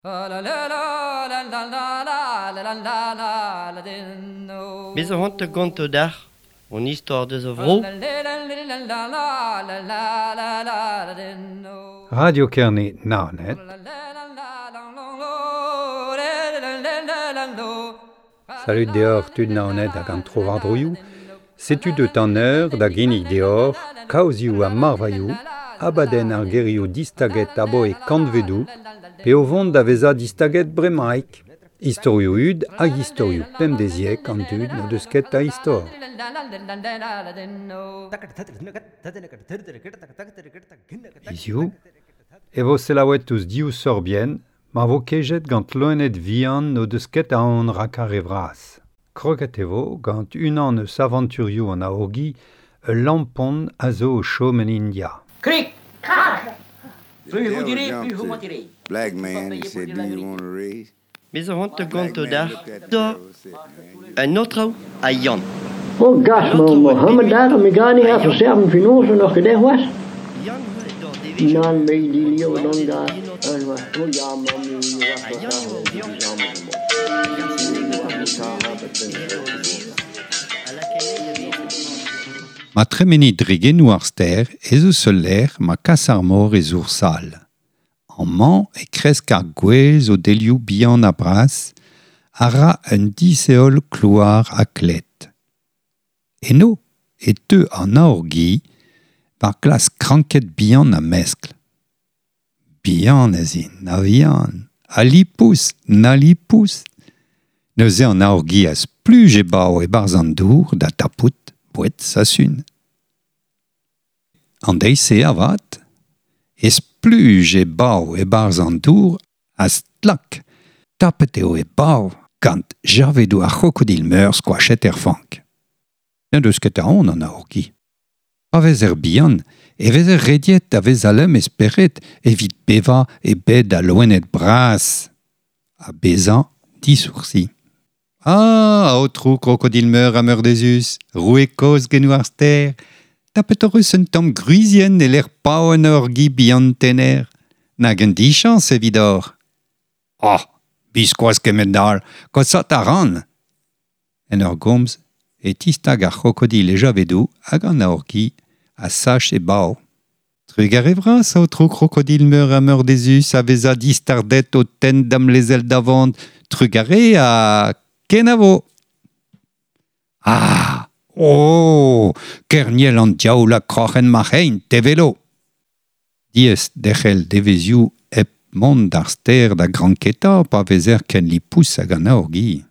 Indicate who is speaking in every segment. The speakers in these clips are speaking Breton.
Speaker 1: Me zo c'hoant da gontañ deoc'h hon istor deus a vro.
Speaker 2: Radio Kerne Naoned. Salud deoc'h tud Naoned hag an tro-war-droioù. Setu deut an eur da ginnig deoc'h kaozioù ha marvailhoù, abadenn ar gerioù distaget aboe kantvedoù, pe o vont da vezañ distaget bremaik. Istorioù hud hag istorioù pemdeziek an dud n'o deus ket a istor. Hiziv e vo selaouet ouzh div sorbienn ma vo kejet gant loened vihan n'o deus ket aon rak ar re vras. Kroget e vo gant unan eus avanturioù an aourgi, ul lampon a zo o chom en India.
Speaker 3: Krik, krak!
Speaker 4: The
Speaker 3: Plus vous
Speaker 4: devil
Speaker 3: direz,
Speaker 4: jumped
Speaker 3: plus vous
Speaker 4: to
Speaker 3: mentirez.
Speaker 4: Black man and said, Do you want a raise?
Speaker 1: Me zo c'hoant da
Speaker 4: Black
Speaker 1: gontañ
Speaker 4: man
Speaker 1: deoc'h
Speaker 4: looked at the
Speaker 1: da
Speaker 4: devil and said, Man, you
Speaker 1: un aotrou ha Yann.
Speaker 5: Oh gas, ma Mohammed ar me gani ha so serven finose noch gedech was?
Speaker 1: Yann eo d'ar devezhioù.
Speaker 5: Nan me di lio non ga. Oh ja, ma mi
Speaker 1: Ha Yann eo o vioc'h.
Speaker 2: Ma tremeni dre genoù ar stêr ez eus ul lec'h ma kas ar mor e zour sal. Amañ e kresk ar gwez o delioù bihan ha bras, a ra un disheol klouar ha klet. Eno e teu an aourgi war klask kranked bihan ha meskl. Bihan ez int, na vihan, ha lipous, na lipous. Neuze an aourgi a spluj e bav e-barzh an dour da tapout boued sasun. An deiz-se avat, e spluj e bav e-barzh an dour a stlak. Tapet eo e bav gant javedoù ar c'hrokodil meur skoachet er fank. N'en deus ket aon an aourgi. Pa vezer bihan, e vezer rediet da vezañ lemm e spered evit bevañ e bed al loened bras. Ha bezañ disoursi. Ah, aotrou krokodil meur ha meurdezus, roue kozh genoù ar stêr, tapet hoc'h eus un tamm gwrizienn e lec'h pav an aourgi bihan tener. Nag un dichañs evidoc'h. Oh, biskoazh kement-all, kosaat a ran. En ur gomz, e tistag ar c'hrokodil e javedoù hag an aourgi a sach e bav. Trugarez vras, aotrou krokodil meur ha meurdezus a vezañ distardet o tenn da'm lezel da vont. Trugarez ha kenavo. Ah, oh, kerniel an diaoul ha kroc'hen ma c'hein, te velo. Diaes derc'hel devezhioù hep mont d'ar stêr da granketa pa vezer ken lipous hag an aourgi.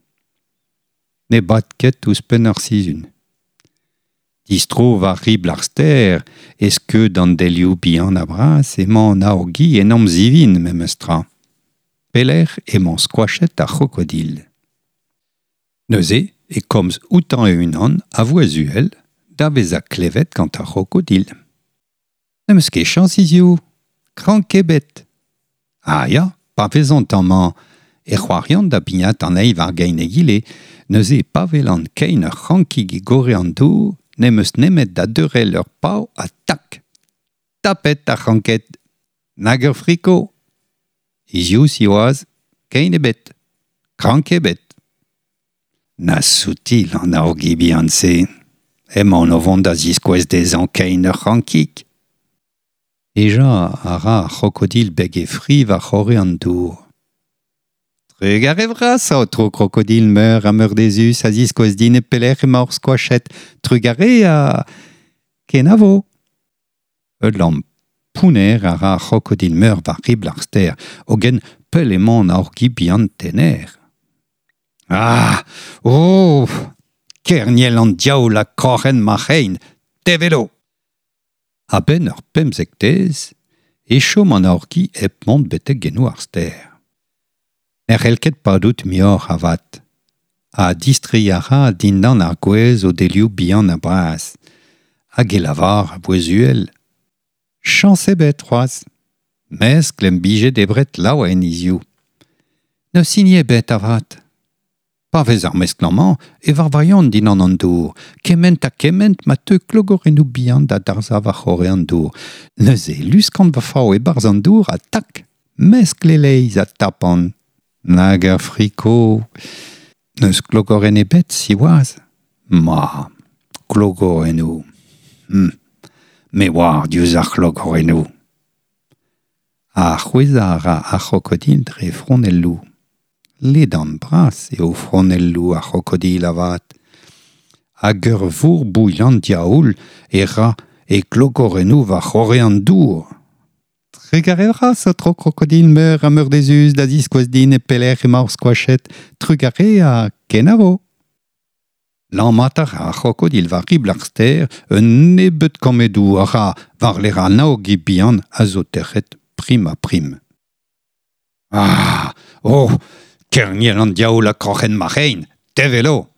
Speaker 2: Ne bad ket ouzhpenn ar sizhun. Distro war ribl ar stêr, e skeud an delioù bihan ha bras emañ an aourgi en amzivin memes tra. Pelec'h emañ skoachet ar c'hrokodil. Neuze e komz outañ e-unan a vouezh uhel da vezañ klevet gant ar c'hrokodil. N'em eus ket chañs hiziv, krank ebet. Ah ya, pa vezont amañ e c'hoariont da bignat an eil war gein egile, neuze pa welan kein ur c'hrankig e gorre an dour, n'em eus nemet da deurel ur pav ha tak. Tapet ar c'hranked. Nag ur friko. Hiziv siwazh, kein ebet. Krank ebet. Na soutil an aourgi bihan-se. Emaon o vont da ziskouez dezhañ kein ur c'hrankig. Hejañ a ra ar c'hrokodil beg e fri war c'horre an dour. Trugarez vras, aotrou krokodil meur ha meurdezus a ziskouez din e pelec'h emañ hor skoachet. Trugarez ha kenavo. Ul lamm pounner a ra ar c'hrokodil meur war ribl ar stêr, hogen pell emañ an aourgi bihan tener. Ah, oh, kerniel an diaoul ha kroc'hen ma c'hein, te velo. A-benn ur pemzektez, e chom an aourgi hep mont betek genoù ar stêr. Ne c'hell ket padout muioc'h avat. Ha distreiñ a ra dindan ar gwez o delioù bihan ha bras. Hag e lavar a bouez uhel. Chañs ebet c'hoazh. Meskl em bije debret laouen hiziv. N'eus hini ebet avat. Pa vez ar meskl amañ e varvailhont dindan an dour. Kement ha kement ma teu klogorennoù bihan da darzhañ war c'horre an dour. Neuze luskant va fav e-barzh an dour ha tak. Meskl e-leizh a tapan. Nag ar friko. N'eus klogorenn ebet, siwazh. Ma, klogorennoù. Me oar diouzh ar c'hlogorennoù. Ha c'hwezhañ a ra ar c'hrokodil dre fronelloù. Ledan bras eo fronelloù ar c'hrokodil avat. Hag ur vourbouilh an diaoul e ra e klogorennoù war c'horre an dour. Trugarez vras, aotrou krokodil meur ha meurdezus da ziskouez din e pelec'h emaoc'h skoachet. Trugarez ha kenavo. Lammat a ra ar c'hrokodil war ribl ar stêr un nebeud kammedoù a ra war-lerc'h an aogi bihan a zo tec'het prim ha prim. Ah! Oh! Kerniel an diaoul ha kroc'hen ma c'hein, te velo!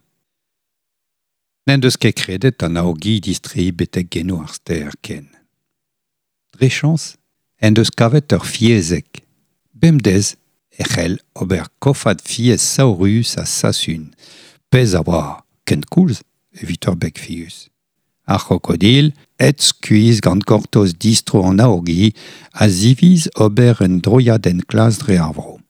Speaker 2: N'en deus ket kredet an aogi distreiñ betek genoù ar stêr ken. Dre chañs en deus kavet ur fiezeg. Bemdez e c'hell ober kofad fiez saourus ha sasun, pezh a oa kenkoulz evit ur beg figus. Ar c'hrokodil, aet skuizh gant gortoz distro an aogi, a ziviz ober un droiad enklask dre ar vro.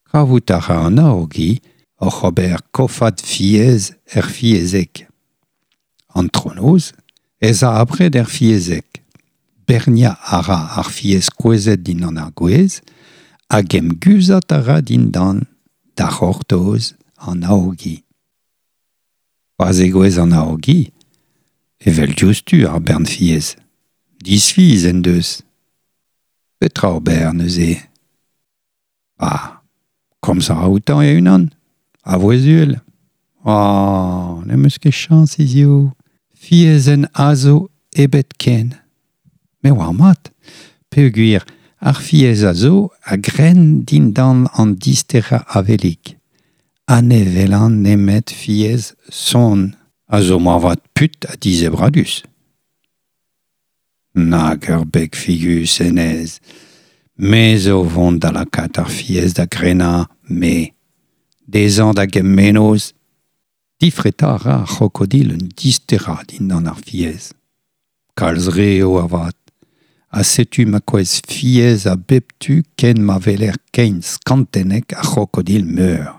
Speaker 2: Kavout a ra an aogi oc'h ober kofad fiez er fiezeg. Antronoz ez a abred er fiezeg. Berniañ a ra ar fiez kouezhet dindan ar gwez hag emguzhat a ra dindan da c'hortoz an aogi. Pa zegouezh an aogi, evel diouzhtu ar bern fiez. Disfiz en deus. Petra ober neuze? Ah, komz a ra outañ e-unan, a vouezh uhel. Ah, n'em eus ket chañs hiziv. Fiezenn a zo ebet ken. Me oar mat, peogwir ar fiez a zo a gren dindan an disterañ avelig. Ha ne welan nemet fiez sonn a zo moarvat put ha dizebradus. Nag ur beg figus hennezh. Me zo vont da lakaat ar fiez da grenañ, me. Dezhañ da gemm mennozh. Difretañ a ra ar c'hrokodil un disterañ dindan ar fiez. Kalz re eo avat. Ha setu ma kouezh fiez a bep tu ken ma weler kein skantennek ar c'hrokodil meur.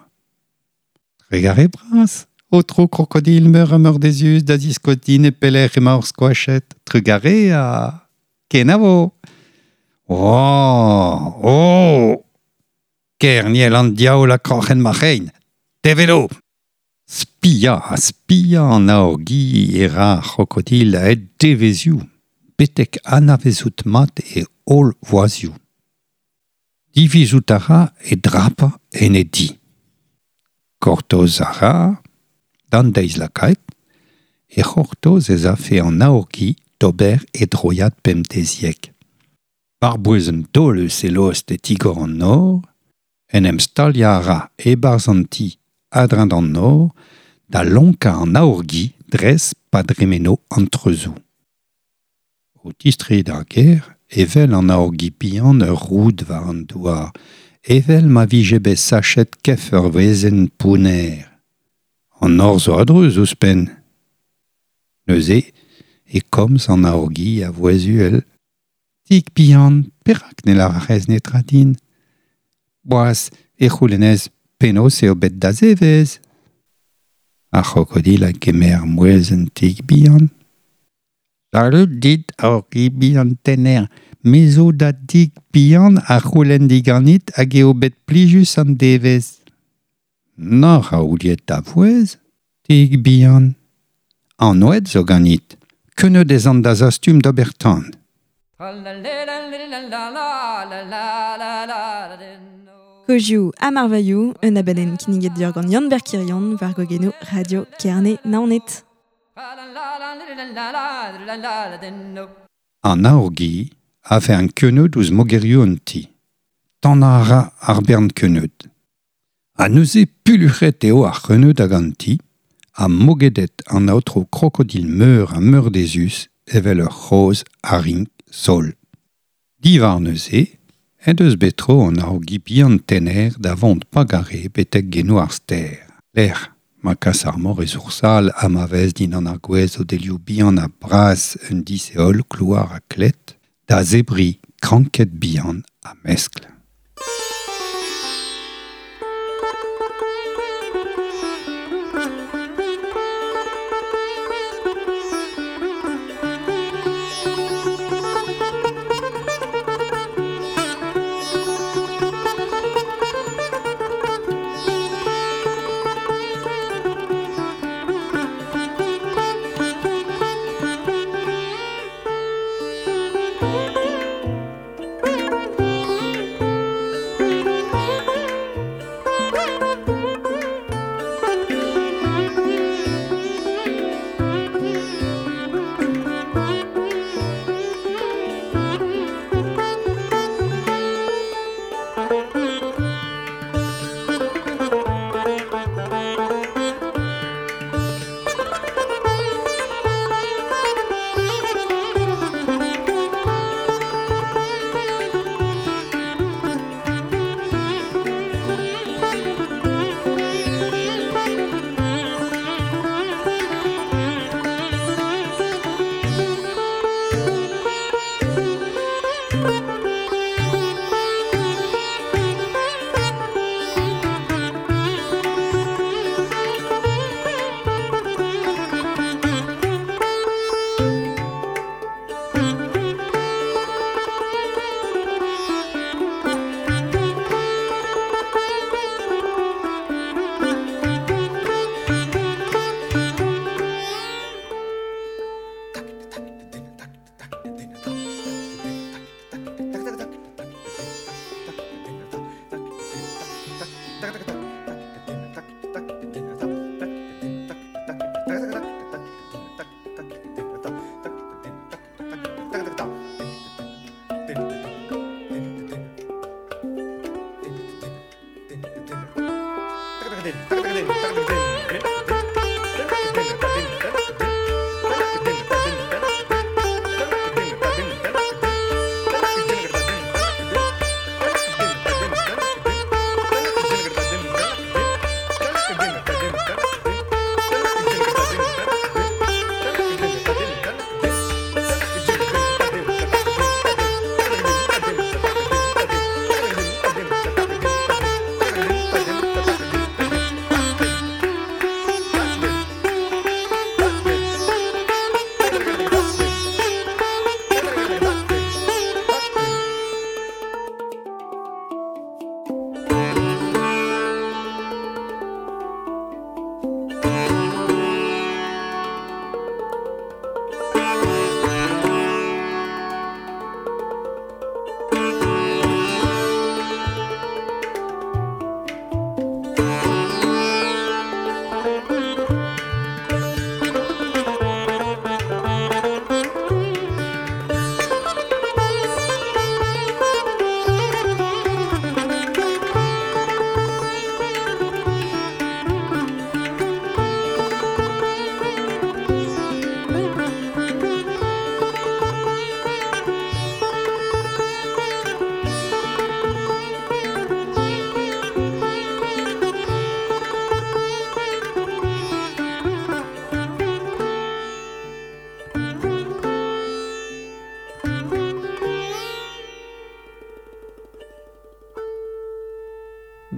Speaker 2: Trugarez bras, aotrou krokodil meur ha meurdezus da ziskouez din e pelec'h emaoc'h skoachet. Trugarez ha kenavo. Oh! Oh! Kerniel an diaoul ha kroc'hen ma c'hein. Te velo! Spiañ ha spiañ an aogi e ra ar c'hrokodil a-hed devezhioù, betek anavezout mat e holl voazioù. Divizout a ra e drapañ en e di. Gortoz a ra, d'an deiz lakaet, e c'hortoz ez afe an aogi d'ober e droiad pemdeziek. War-bouez un taol eus e lost e tigor an nor, en em staliañ a ra e-barzh an ti a-dreñv d'an nor da lonkañ an aourgi dres pa dremeno an treuzoù. O tistreiñ d'ar gêr e wel an aourgi bihan ur roud war an douar, evel ma vije bet sachet kef ur wezenn pounner. An nor zo a-dreuz ouzhpenn. Neuze e komz an aourgi a vouezh uhel. Tik bihan, perak ne lavarez netra din? Boaz e c'houlennez penaos eo bet da zevezh. Ar c'hrokodil a gemer mouezh un tik bihan. Salud dit, aourgi bihan tener. Me zo da dik bihan a c'houlenn diganit hag eo bet plijus an devezh. Nac'h a ouliet da vouezh, tik bihan. An oed zo ganit. Keuneud ez an da zastum d'ober tan.
Speaker 3: Kozioù ha marvailhoù, un abadenn kinniget deoc'h gant Yann-Ber Kirion war gogennoù Radio Kerne Naoned.
Speaker 2: An aourgi a vez an keuneud ouzh mogerioù an ti. Tanañ a ra ar bern keuneud. Ha neuze pulluc'het eo ar c'heuneud hag an ti, ha mogedet an aotrou krokodil meur ha meurdezus evel ur c'hozh a-rink sol. Diwar neuze en deus bet tro an aourgi bihan tener da vont pagare betek genoù ar stêr. Lec'h ma kas ar mor e zoursal ha ma vez dindan ar gwez o delioù bihan ha bras un disheol klouar ha klet, da zebriñ kranked bihan a meskl.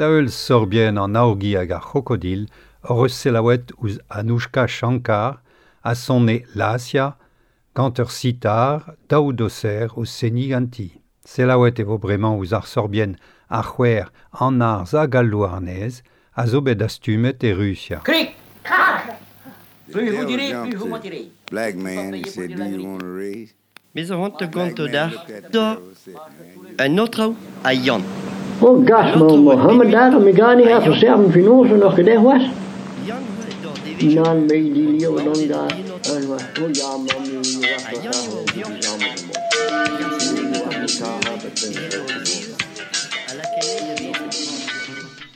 Speaker 2: Da eul sorbien an aorgi hag ar c'hrokodil hor eus selaouet ouzh Anoushka Shankar a sonne Lasia gant ur sitar daou doser o seni ganti. Selaouet e vo bremañ ouzh ar sorbien ar c'hwer an arz hag al louarnez a zo bet astumet e Rusia.
Speaker 1: Krik! Krak! Plus vous direz, plus vous mentirez.
Speaker 4: Black man, he said, do you want a raise?
Speaker 1: Mes a hont gant da da un autre a Yann.
Speaker 5: Oh, gas, Mohammed Adam Migani har verserven finosen nog gedacht was. Nan me die leeuw dan daar. En was oh ja, man,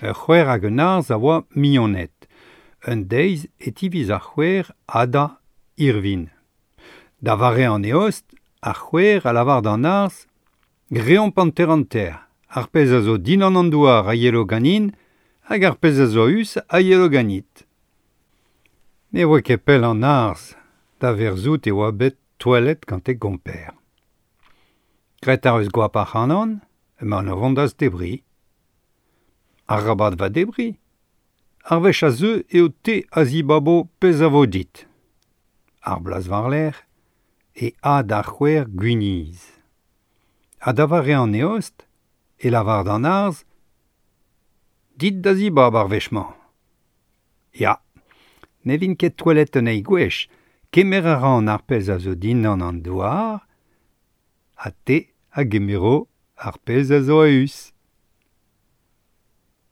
Speaker 2: Ur c'hwer hag un arz a oa mignoned. Un deiz e tiviz ar c'hwer ada Irvin. Da vare an eost, ar c'hwer a lavar d'an arz greomp panter an ter. Ar pezh a zo din an douar a yelo ganin, hag ar pezh a zo us a yelo ganit. Ne oa ket pell an arz, da verzout e oa bet toalet gant e gomper. Gret ar eus goap ar c'hanon, Emañ o vont da zebriñ. Arabat va debriñ. Ar wech a zeu eo te a zibabo pezh a vo dit. Ar bloaz war-lerc'h e a d'ar c'houer gwinizh. Ha da vare an eost e lavar d'an arzh dit da zibab ar wech-mañ. Ya, ne vin ket touellet un eil gwech, kemer a ran ar pezh a zo dindan an douar, ha te a gemero ar pezh a zo a-us.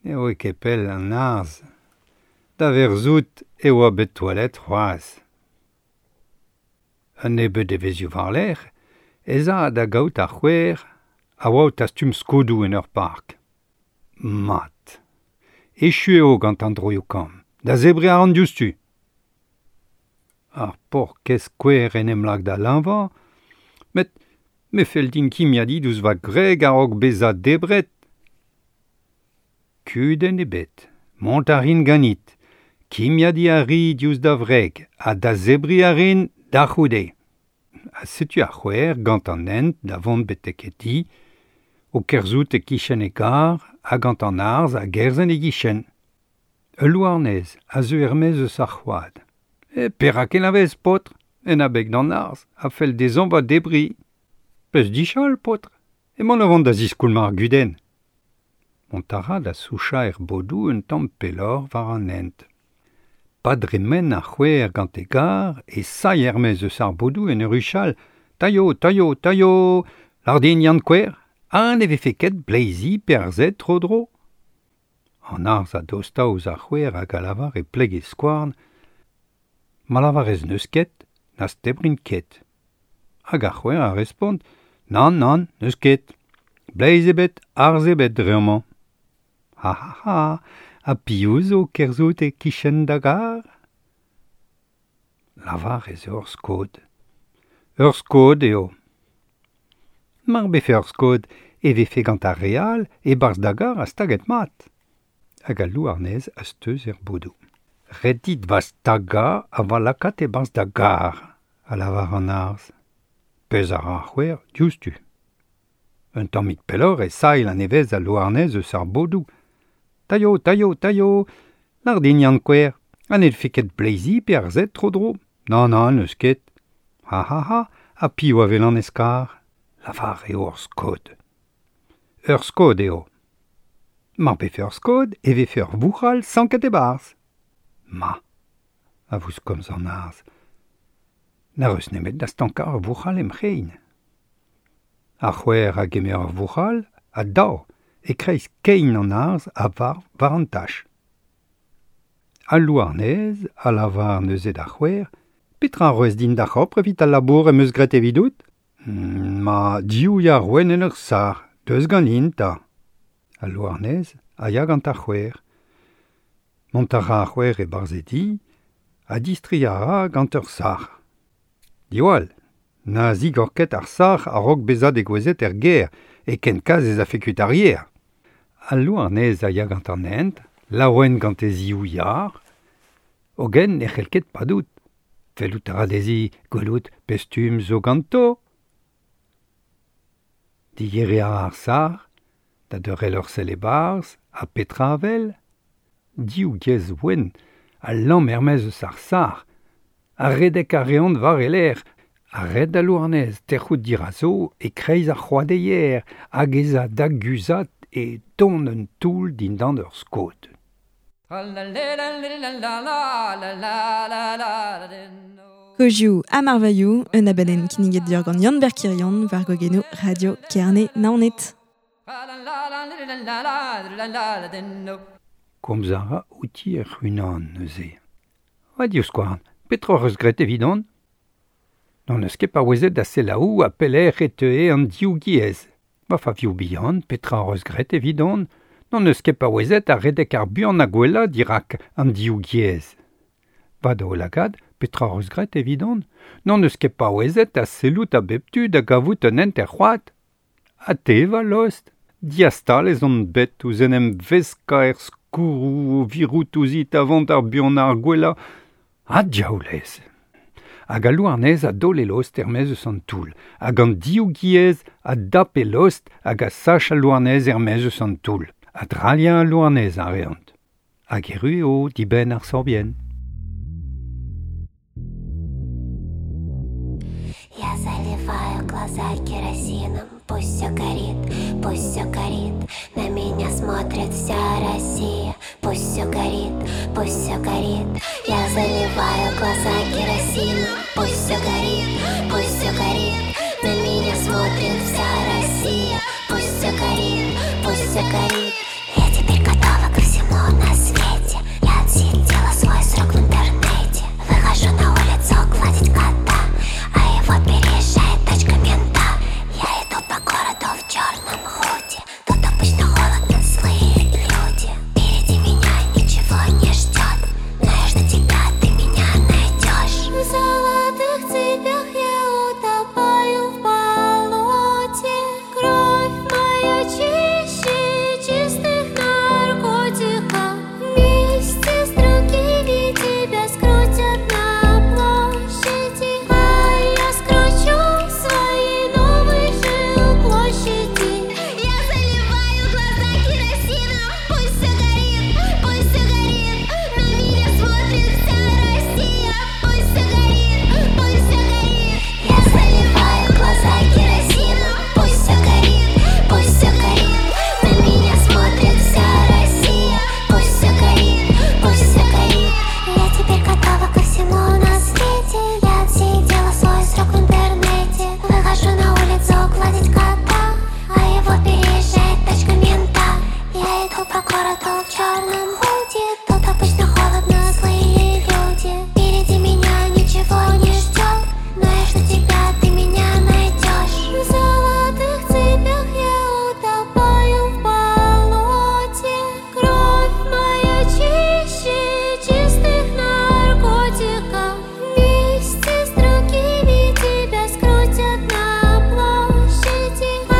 Speaker 2: Ne oe ket pell an arzh, da verzout e oa bet touellet c'hoazh. Un nebeud devezhioù war-lerc'h ez a da gaout ar c'houer a oa o tastum skodoù en ur park. Mat. Echu eo gant an droioù kamm. Da zebriñ a ran diouzhtu. Ar paourkaezh kouer en em lak da leñvañ, met me fell din kimiadiñ diouzh va gwreg a-raok bezañ debret. Kudenn ebet. Mont a rin ganit. Kimiadiñ a ri diouzh da wreg ha da zebriñ a rin da c'houde. Ha setu ar c'houer gant an hent da vont betek e di, o kerzhout e-kichen e gar ha gant an arzh a gerzh en e gichen. Ul louarnez a zeu er-maez eus ar c'hoad. E perak e lavez, paotr? En abeg d'an arzh a fell dezhañ va debriñ. Peus dichal, paotr? Emaon o vont da ziskoulmañ ar gudenn. Mont a ra da souchañ er bodoù un tamm pelloc'h war an hent. Pa dremen ar c'houer gant e gar e sailh er-maez eus ar bodoù en ur huchal Tailho, tailho, tailho, lâr din Yann Kouer, ha ne vefe ket bleizi pe arzhed tro-dro? An arzh a dosta ouzh ar c'houer hag a lavar e pleg e skouarn Ma lavarez n'eus ket, n'az tebrin ket. Hag ar c'houer a respont Nann, nann, n'eus ket. Bleiz ebet, arzh ebet dre amañ. Ha ha ha, ha piv zo kerzhout e-kichen da gar? Lavar ez eo ur skod. Ur skod eo. Mar befe ur skod e vefe gant ar re all e-barzh da gar ha staget mat. Hag al louarnez a steuz er bodoù. Ret dit va stagañ ha va lakaat e-barzh da gar, a lavar an arzh. Pezh a ra ar c'houer diouzhtu. Un tammig pelloc'h e sailh a-nevez al louarnez eus ar bodoù. Tailho, tailho, tailho, lâr din Yann Kouer, ha ne vefe ket bleizi pe arzhed tro-dro? Nann, nann, n'eus ket. Ha ha ha, ha piv a welan ez karr? Lavar eo ur skod. Ur skod eo. Mar befe ur skod e vefe ur vouc'hal sanket e-barzh. Ma, a vouskomz an arzh, n'ar eus nemet da stankañ ur vouc'hal em c'hein. Ar c'houer a gemer ur vouc'hal ha dao e-kreiz kein an arzh a varv war an tach. Al louarnez a lavar neuze d'ar c'houer Petra a roez din da c'hopr evit al labour em eus graet evidout? Ma div yar wenn en ur sac'h, deus ganin 'ta. Al louarnez a ya gant ar c'houer. Mont a ra ar c'houer e-barzh e di ha distreiñ a ra gant ur sac'h. Diwall, na zigor ket ar sac'h a-raok bezañ degouezhet er gêr, e ken kaz ez afe kuit ar yer. Al louarnez a ya gant an hent, laouen gant e ziv yar, hogen ne c'hell ket padout. Fellout a ra dezhi gwelout pe stumm zo ganto. Digeriñ a ra ar sac'h, da deurel ur sell e-barzh, ha petra a wel? Div giez wenn a lamm er-maez eus ar sac'h, ha redek a reont war e lerc'h, ha ret al louarnez tec'hout dirazo e-kreiz ar c'hoadeier hag ez a da guzhat e don un toull dindan ur skod.
Speaker 3: Kozioù ha marvailhoù, un abadenn kinniget deoc'h gant Yann-Ber Kirion war gogennoù Radio Kerne Naoned.
Speaker 2: Komz a ra outi hec'h-unan neuze. Va divskouarn, petra hoc'h eus graet evidon? N'hon eus ket paouezet da selaou ha pelec'h e teue an div giez. Va favioù bihan, petra hoc'h eus graet evidon? N'hon eus ket paouezet a redek ar buan ha gwellañ dirak an div giez. Va daoulagad, petra hoc'h eus graet evidon? N'hon eus ket paouezet da sellout a bep tu da gavout un hent er c'hoad. Ha te, va lost, diastal ez on bet ouzh en em veskañ er skourroù o virout ouzhit a vont ar buanañ ar gwellañ. Ha diaoulez! Hag a louarnez a dole lost ermez eus an toull. Hag an diou giez a dap e lost hag a sach a louarnez ermez eus an toull. A dralien a louarnez a reant. Hag eru eo dibenn ar sorbien.
Speaker 6: Я заливаю глаза керосином, пусть все горит, пусть все горит. На меня смотрит вся Россия, пусть все горит, пусть все горит. Я заливаю глаза керосином, пусть все горит, пусть все горит. На меня смотрит вся Россия, пусть все горит, пусть все горит. Я теперь готова ко всему на свете. Я отсидела свой срок в интернете. Выхожу на улицу гладить кота, а его переезжает тачка мента. Я иду по городу в черном худи. Тут обычно холодно, злые люди. Впереди меня ничего не ждет, но я жду тебя, ты меня найдешь.
Speaker 7: В золотых цепях я утопаю в болоте. Кровь моя чище чистых наркотиков. Вместе с другими тебя скрутят на площади, а я скручу свои новые жилплощади. Я заливаю глаза керосином, пусть все горит, пусть все горит. На меня смотрит вся Россия, пусть все горит, пусть все горит.
Speaker 6: Я заливаю глаза керосином, пусть все горит, пусть все горит. На меня смотрит вся Россия, пусть все горит, пусть все горит. Я теперь готова ко всему на свете. Я отсидела свой срок в интернете. Выхожу на улицу гладить кота, а его переезжает тачка мента. Я иду по городу в черном худи. Тут обычно холодно, злые люди. Впереди меня ничего не ждет, но я жду тебя, ты меня найдешь.
Speaker 7: В золотых цепях я утопаю в болоте. Кровь моя чище чистых наркотиков. Вместе с другими тебя скрутят на площади, а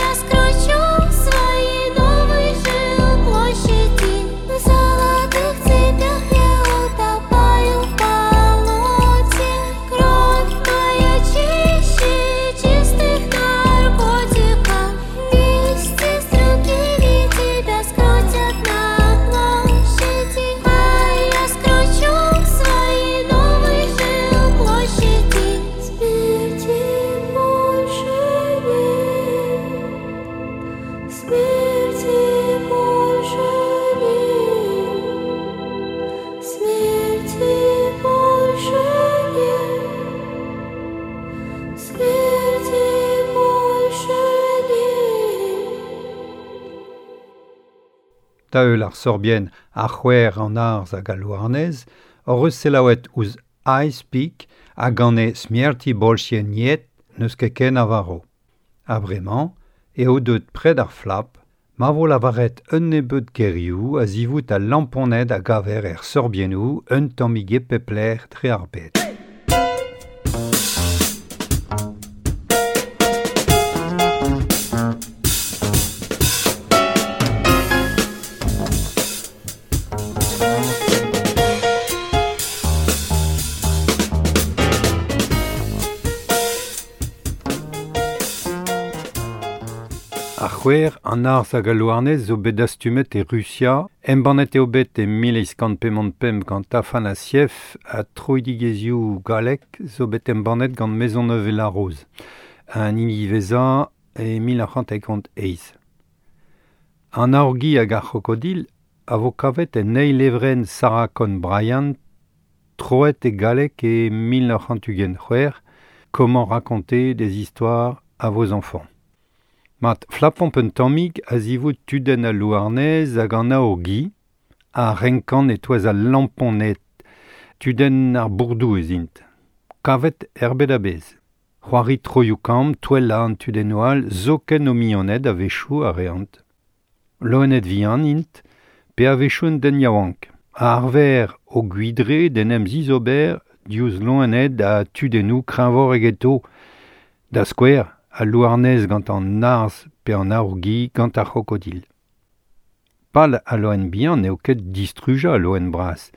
Speaker 7: я скручу свои новые жилплощади. В золотых цепях я утопаю в болоте. Кровь моя чище чистых наркотиков. Вместе с другими тебя скрутят на площади, а я скручу свои новые жилплощади. Смерти больше нет, смерти больше нет, смерти больше нет, смерти больше нет.
Speaker 2: Da eul ar sorbien ar c'hwer an arz hag a louarnez, hor eus selaouet ouzh Ice Peak hag an e smierti bolchien niet n'eus ket ken avaro. A bremañ, eo deut pred ar flap, ma vo lavaret un nebeud gerioù a zivout a lamponed a gaver er sorbiennoù un tammige pepler dre ar bed. Ar c'hwer an arz hag a louarnez zo bet dastumet e Rusia, embannet eo bet e 1855 gant Afanasiev ha troidigezioù galek zo bet embannet gant Maisonneuve-la-Rose, an hini vezañ e 1958. An aorgi hag ar c'hrokodil a vo kavet en eil levrenn Sarah Conn Bryant, troet e galek e 1926, Comment raconter des histoires à vos enfants. Mat flapomp un tammig a zivout tudenn a louarnez hag an aorgi, a renkan e toaz a lamponed, tudenn ar bourdoù ez int. Kavet erbet a bez. C'hoari troioù kamm, touella an tudennoù all, zoken o mignoned a wechoù a reant. Loened vihan int, pe a wechoù un den yaouank. A arver o gwidre d'en em zizober diouzh loened a tudennoù kreñvor egeto. Da skouer, a louarnez gant an arz pe an aorgi gant ar c'hrokodil. Pal a loen bihan n'eo ket distrujañ a loen bras,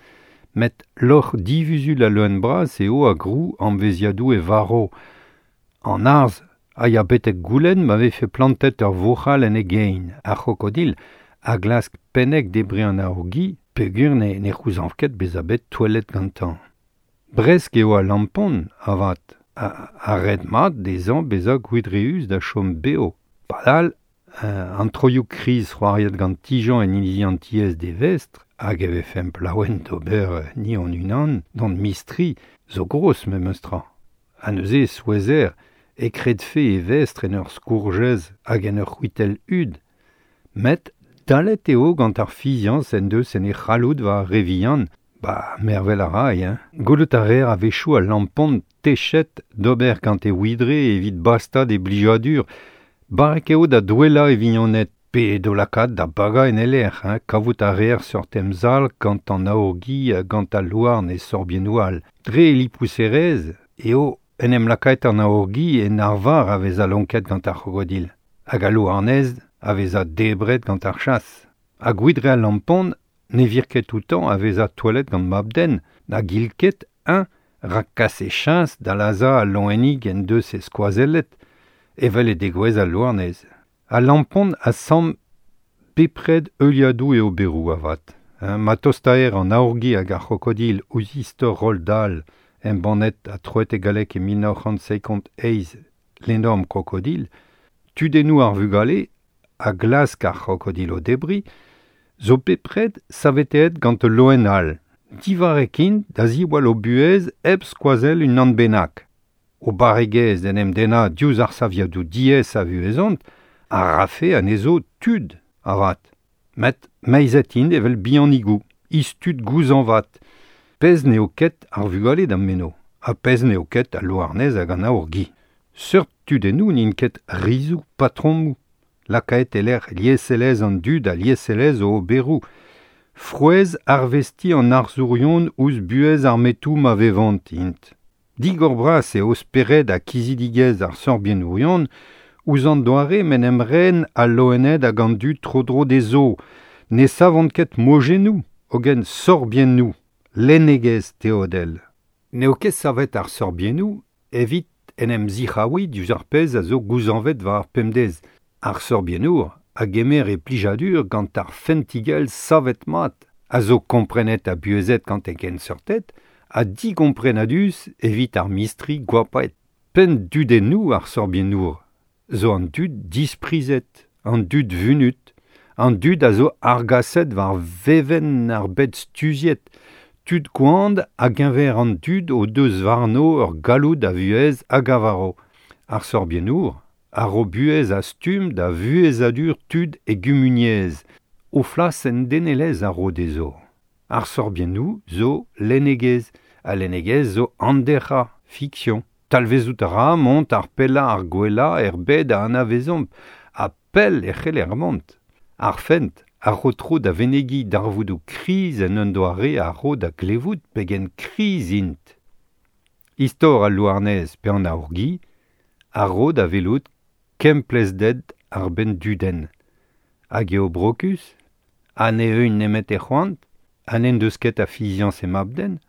Speaker 2: Met loc'h divuzul a leun bras eo a grou an veziadou e varo. An arz a ya betek goulenn ma vefe plantet ur vourc'hal en e gein, ar c'hrokodil, a glask pennek debre an aourgi, peogwir ne c'houzañv ket bezañ bet touellet gantañ. Bresk eo al lampon, avat, a red mat dezhañ bezañ gwidreüs da chom bev. Padal, an troioù kriz c'hoariet gant Tijan en inizi an tiez d'e vestr, hag e vefemp laouen d'ober ni hon unan d'hon mistri, zo gros memes tra. Ha neuze souezher e kredfe e vestr en ur skourjez hag en ur c'hwitell hud. Met dalet eo gant ar fiziañs en deus en e c'halloud war ar re vihan, ba mervel a ray, hein. Gwelout a reer a-wechoù al lampon techet d'ober gant e widre evit bastañ d'e blijadur, barrek eo da douellañ e vignoned, pe d'o lakaat da bagañ en e lec'h, hein, kavout a reer seurt emzalc'h gant an aourgi ha gant al louarn e sorbiennoù all. Dre e lipouserezh eo en em lakaet an aourgi en arvar a vezañ lonket gant ar c'hrokodil, hag al louarnez a vezañ debret gant ar chas. Ha gwidre al lampon ne vir ket outañ a vezañ touellet gant mab-den, na gil ket eñ rak kas e chañs da lazhañ al loenig en deus e skoazellet, evel e degouezh al louarnez. Al lampon a samm bepred heuliadoù e oberoù avat. Ma tostaer an aourgi hag ar c'hrokodil ouzh istor Roald Dahl embannet ha troet e galleg e 1958 L'énorme crocodile, tudennoù ar vugale a glask ar c'hrokodil o debriñ, zo bepred saveteet gant ul loen all. Divarrek int da ziwall o buhez hep skoazell unan bennak. O barregezh d'en em dennañ diouzh ar saviadoù diaes a vuhezont a rafe anezho tud, avat. Met meizet int evel bihanigoù, istud gouzañvat. Pezh n'eo ket ar vugale d'am meno, ha pezh n'eo ket al louarnez hag an aourgi. Seurt tudennoù n'int ket rizoù, patromoù. Lakaet e lec'h lieselezh an dud ha lieselezh o oberoù. Frouezh arvestiñ an arzourion ouzh buhez ar metoù ma vevont int. Digor bras eo spered ha kizidigezh ar sorbiennourion ouzh an doare m'en em ren al loened hag an dud tro-dro dezho. Ne savont ket mojennoù, hogen sorbiennoù, lennegezh teodel. N'eo ket savet ar sorbiennoù evit en em zic'haouiñ diouzh ar pezh a zo gouzañvet war ar pemdez. Ar sorbiennour a gemer e plijadur gant ar fentigell savet mat, a zo komprenet ha buhezet gant e genseurted, ha digomprenadus evit ar mistri goapaet. Penn dudennoù ar sorbiennour zo an dud disprizet, an dud vunut, an dud a zo argaset war vevenn ar bed stuziet, tud koant hag-eñver an dud o deus warno ur galloud a vuhez hag a varo. Ar sorbiennour a ro buhez a stumm da vuhezadur tud e gumuniezh, o flas en denelezh a ro dezho. Ar sorbiennoù zo lennegezh, ha lennegezh zo handerc'hañ, fiksion. Talvezout a ra mont ar pellañ ar gwellañ er bed a anavezomp, ha pell e c'heller mont. Ar fent a ro tro da venegiñ darvoudoù kriz en un doare a ro da glevout pegen kriz int. Istor al louarnez pe an aourgi a ro da welout kemplezhded ar benn dudenn. Hag eo brokus, ha ne eeun nemet e c'hoant, ha n'en deus ket a fiziañs e mab-den,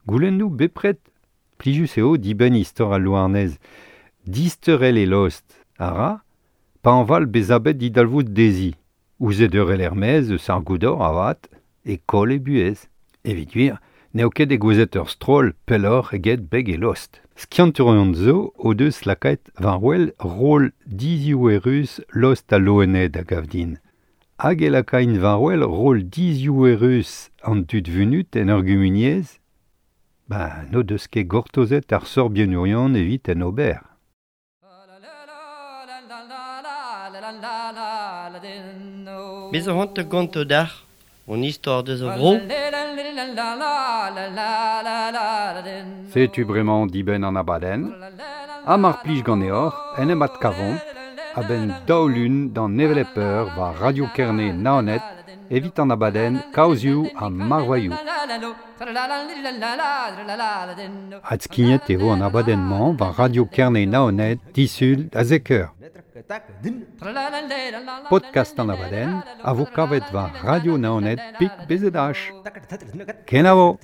Speaker 2: goulennoù bepred. Plijus eo dibenn istor al louarnez. Disteurel e lost a ra, pa añval bezañ bet didalvoud dezhi. Ouzh e deurel er-maez eus ar goudor avat, e koll e buhez. Evit gwir, n'eo ket degouezhet ur stroll pelloc'h eget beg e lost. Skiantourion zo o deus lakaet war-wel roll diziouerus lost al loened a gav din. Hag e lakaint war-wel roll diziouerus an dud vunut en ur gumuniezh? Ba, n'o deus ket gortozet ar sorbiennourion evit en ober.
Speaker 1: Bez a c'hoant gonto dac'h, hon istor deus a vro.
Speaker 2: Setu bremañ dibenn an abadenn, ha mar plij ganeoc'h en em adkavomp a-benn daou lun d'an hevelep eur war Radio Kerne Naoned evit an abadenn Kaozioù ha Marvailhoù. Adskignet e vo an abadenn-mañ war Radio Kerne Naoned disul da zek eur. Podcast an abadenn a vo kavet war Radio Naoned pik BZH. Kenavo!